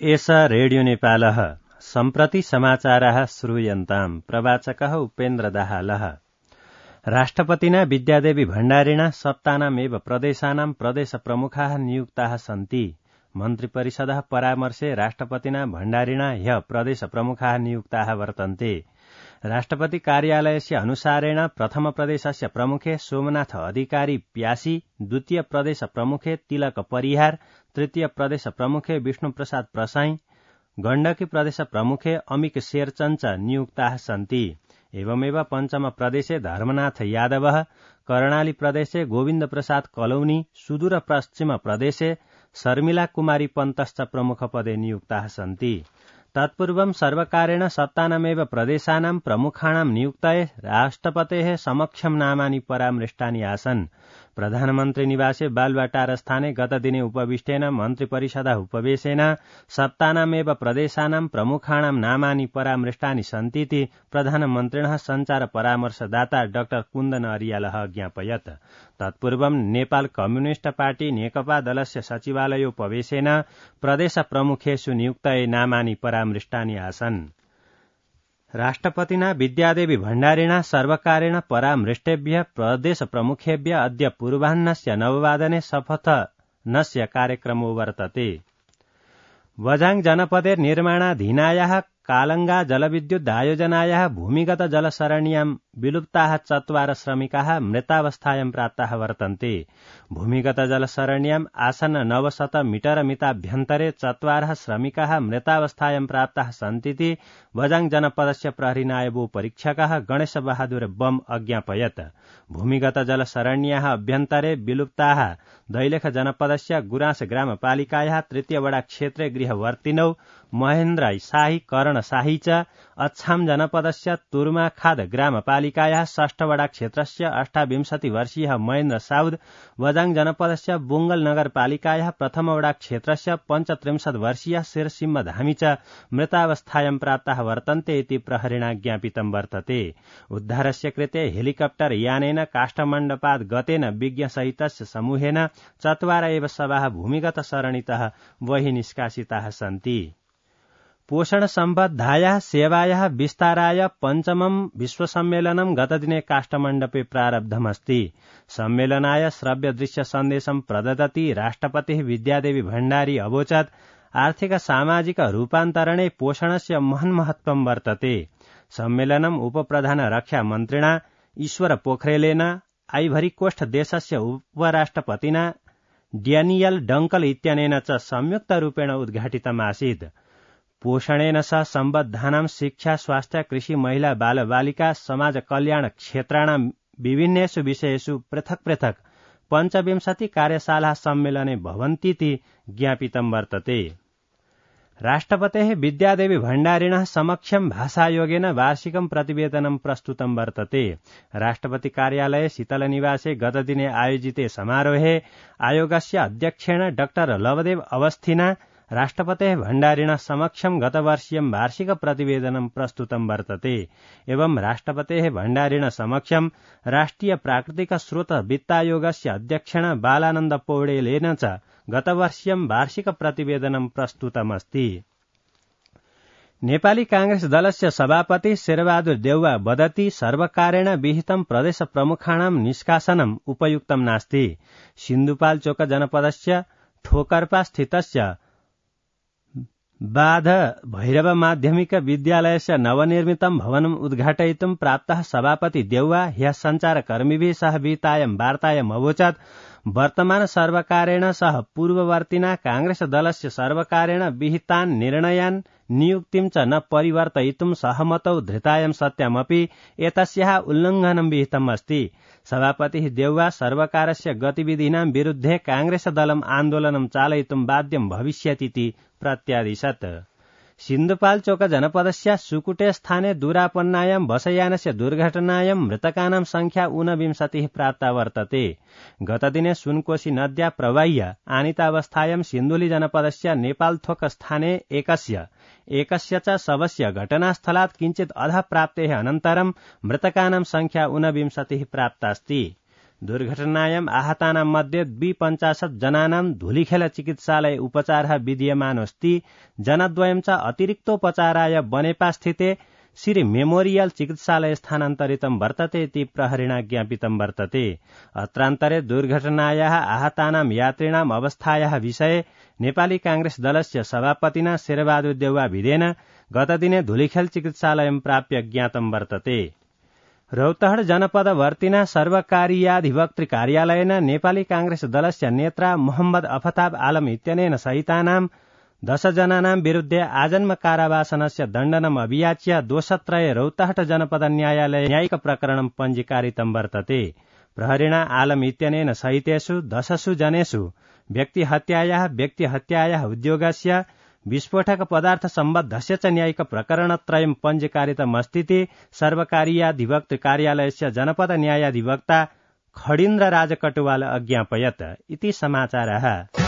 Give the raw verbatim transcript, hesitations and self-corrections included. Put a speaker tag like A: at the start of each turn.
A: एष रेडियो नेपालः सम्प्रति समाचाराः श्रूयन्ताम्। प्रवाचकः उपेन्द्र दाहालः। राष्ट्रपतिना विद्यादेवी भण्डारिणा सप्तानामेव प्रदेशानां प्रदेश प्रमुखाः नियुक्ताः सन्ति। मन्त्रिपरिषदः परामर्शे राष्ट्रपतिना भण्डारिणा ह्यः प्रदेश प्रमुखाः नियुक्ताः वर्तन्ते। राष्ट्रपति कार्यालयस्य अनुसारेण प्रथम प्रदेशस्य प्रमुखे सोमनाथ अधिकारी प्यासी, द्वितीय प्रदेश प्रमुखे तिलक परिहार, तृतीय प्रदेश प्रमुखे विष्णुप्रसाद प्रसाई, गण्डकी प्रदेश प्रमुखे अमिक शेरचंच नियुक्ताः सन्ति। एवमेव पञ्चम प्रदेशे धर्मनाथ यादवः, कर्णाली प्रदेशे गोविन्द प्रसाद कलौनी, सुदूर पश्चिम प्रदेशे शर्मिला कुमारी पन्तश्च प्रमुखपदे नियुक्ताः सन्ति। तत्पूर्वं सर्वकारेण सप्तानामेव प्रदेशानां प्रमुखाणां नियुक्तये राष्ट्रपतेः समक्षं नामानि परामृष्टानि आसन्। प्रधानमन्त्री निवासे बालुवाटार स्थाने गतदिने उपविष्टेन मन्त्रिपरिषदः उपवेशेन सप्तानामेव प्रदेशानां प्रमुखाणां नामानि परामृष्टानि सन्तीति प्रधानमन्त्रिणः सञ्चार परामर्शदाता डाक्टर कुन्दन अरियालः ज्ञापयत्। तत्पूर्वं नेपाल कम्युनिष्ट पार्टी नेकपा दलस्य सचिवालयोपवेशेन प्रदेश प्रमुखेषु नियुक्तये नामानि परामृष्टानि आसन्। राष्ट्रपतिना विद्यादेवी भण्डारिणा सर्वकारेण परामृष्टेभ्यः प्रदेश प्रमुखेभ्यः अद्य पूर्वाह्नस्य नववादने शपथनस्य कार्यक्रमो वर्तते। वझाङ जनपदे निर्माणाधीनायाः कालंगा जलविद्युत आयोजनायाः भूमिगत जलसरण्यां विलुप्ताः चत्वार श्रमिकाः मृतावस्थायां प्राप्ताः वर्तन्ते। भूमिगत जलसरण्याम् आसन्न नवशत मीटर मिताभ्यन्तरे चत्वारः श्रमिकाः मृतावस्थायां प्राप्ताः सन्तीति वझाङ जनपदस्य प्रहरी नायब परीक्षकः गणेश बहादुर बम अज्ञापयत्। भूमिगत जलसरण्याः अभ्यन्तरे विलुप्ताः दैलेख जनपदस्य गुराँस ग्रामपालिकायाः तृतीय वडा क्षेत्रे गृहवर्तिनौ महेन्द्र शाही, कर्ण शाही च अछाम जनपदस्य तुर्माखाद ग्रामपालिकायाः षष्ठ वडा क्षेत्रस्य अष्टाविंशति वर्षीयः महेन्द्र साउद, वझाङ जनपदस्य बुङ्गल नगरपालिकायाः प्रथम वडा क्षेत्रस्य पञ्चत्रिंशत् वर्षीयः शिरसिंह धामी च मृतावस्थायां प्राप्ताः वर्तन्ते इति प्रहरिणा ज्ञापितं वर्तते। उद्धारस्य कृते हेलिकप्टर यानेन काष्ठमण्डपात् गतेन विज्ञसहितस्य समूहेन चत्वार एव शवाः भूमिगत सरणितः बहिः निष्कासिताः सन्ति। पोषण सम्बद्धायाः सेवायाः विस्ताराय पञ्चमं विश्वसम्मेलनं गतदिने काष्ठमण्डपे प्रारब्धमस्ति। सम्मेलनाय श्रव्य दृश्य सन्देशं प्रददति राष्ट्रपतिः विद्यादेवी भण्डारी अवोचत् आर्थिक सामाजिक रूपान्तरणे पोषणस्य महन् महत्वं वर्तते। सम्मेलनम् उपप्रधान रक्षा मन्त्रिणा ईश्वर पोखरेलेन आइभरी कोस्ट देशस्य उपराष्ट्रपतिना ड्यानियल डंकल इत्यनेन च संयुक्तरूपेण उद्घाटितमासीत्। पोषणेन सह सम्बद्धानां शिक्षा, स्वास्थ्य, कृषि, महिला, बालबालिका, समाज कल्याण क्षेत्राणां विभिन्नेषु विषयेषु पृथक् पृथक् पञ्चविंशति कार्यशाला सम्मेलने भवन्तीति ज्ञापितं वर्तते। राष्ट्रपतेः विद्यादेवी भण्डारिणः समक्षं भाषायोगेन वार्षिकं प्रतिवेदनं प्रस्तुतं वर्तते। राष्ट्रपति कार्यालये शीतलनिवासे गतदिने आयोजिते समारोहे आयोगस्य अध्यक्षेण डाक्टर लवदेव अवस्थिना राष्ट्रपतेः भण्डारिणः समक्षं गतवर्षीयं वार्षिक प्रतिवेदनं प्रस्तुतं वर्तते। एवं राष्ट्रपतेः भण्डारिणः समक्षं राष्ट्रिय प्राकृतिक स्रोत वित्तायोगस्य अध्यक्षेण बालानन्द पौडेलेन च गतवर्षीयं वार्षिक प्रतिवेदनं प्रस्तुतमस्ति। नेपाली कांग्रेस दलस्य सभापति शेरबहादुर देउवा वदति सर्वकारेण विहितं प्रदेश प्रमुखाणां निष्कासनम् उपयुक्तं नास्ति। सिन्धुपाल्चोक जनपदस्य ठोकर्पा स्थितस्य बाध भैरव माध्यमिक विद्यालयस्य नवनिर्मितं भवनम् उद्घाटयितुं प्राप्तः सभापति देउवा ह्यः सञ्चारकर्मिभिः सह विहितायां वार्तायाम् अवोचत् वर्तमान सर्वकारेण सह पूर्ववर्तिना कांग्रेस दलस्य सर्वकारेण विहितान् निर्णयान् नियुक्तिं च न परिवर्तयितुं सहमतौ धृतायां सत्यामपि एतस्याः उल्लङ्घनं विहितम् अस्ति। सभापतिः देउवा सर्वकारस्य गतिविधीनां विरुद्धे कांग्रेस दलम् आन्दोलनं चालयितुं बाध्यं भविष्यतीति प्रत्यादिशत्। सिन्धुपाल्चोक जनपदस्य सुकुटे स्थाने दूरापन्नायां बसयानस्य दुर्घटनायां मृतकानां संख्या ऊनविंशतिः प्राप्ता वर्तते। गतदिने सुनकोशी नद्या प्रवाह्य आनीतावस्थायां सिन्धुली जनपदस्य नेपालथोक स्थाने एकस्य एकस्य च शवस्य घटनास्थलात् किञ्चित् अधः प्राप्तेः अनन्तरं मृतकानां संख्या ऊनविंशतिः प्राप्तास्ति। दुर्घटनायाम् आहतानां मध्ये द्विपञ्चाशत् जनानां धुलिखेल चिकित्सालय उपचारः विधीयमानोऽस्ति। जनद्वयं च अतिरिक्तोपचाराय बनेपास्थिते श्री मेमोरियल चिकित्सालय स्थानान्तरितं वर्तते इति प्रहरिणा ज्ञापितं वर्तते। अत्रान्तरे दुर्घटनायाः आहतानां यात्रिणाम् अवस्थायाः विषये नेपाली कांग्रेस दलस्य सभापतिना शेरबहादुर देउवा भिदेन गतदिने धुलिखेल चिकित्सालयं प्राप्य ज्ञातं वर्तते। रौतहट जनपदवर्तिना सर्वकारीयाधिवक्तृ कार्यालयेन नेपाली कांग्रेस दलस्य नेत्रा मोहम्मद अफताब आलम इत्यनेन सहितानां दशजनानां विरुद्ध आजन्म कारावासनस्य दण्डनम् अभियाच्य दोषत्रये रौतहट जनपद न्यायालये न्यायिक प्रकरणं पञ्जीकारितं वर्तते। प्रहरिणा आलम इत्यनेन सहितेषु दशसु जनेषु व्यक्तिहत्यायाः व्यक्तिहत्यायाः उद्योगस्य विस्फोटक पदार्थ सम्बद्धस्य च न्यायिक प्रकरणत्रयं पञ्जीकारितमस्तीति सर्वकारीयाधिवक्तृ कार्यालयस्य जनपद न्यायाधिवक्ता खडीन्द्र राज कटुवाल अज्ञापयत् इति समाचारः।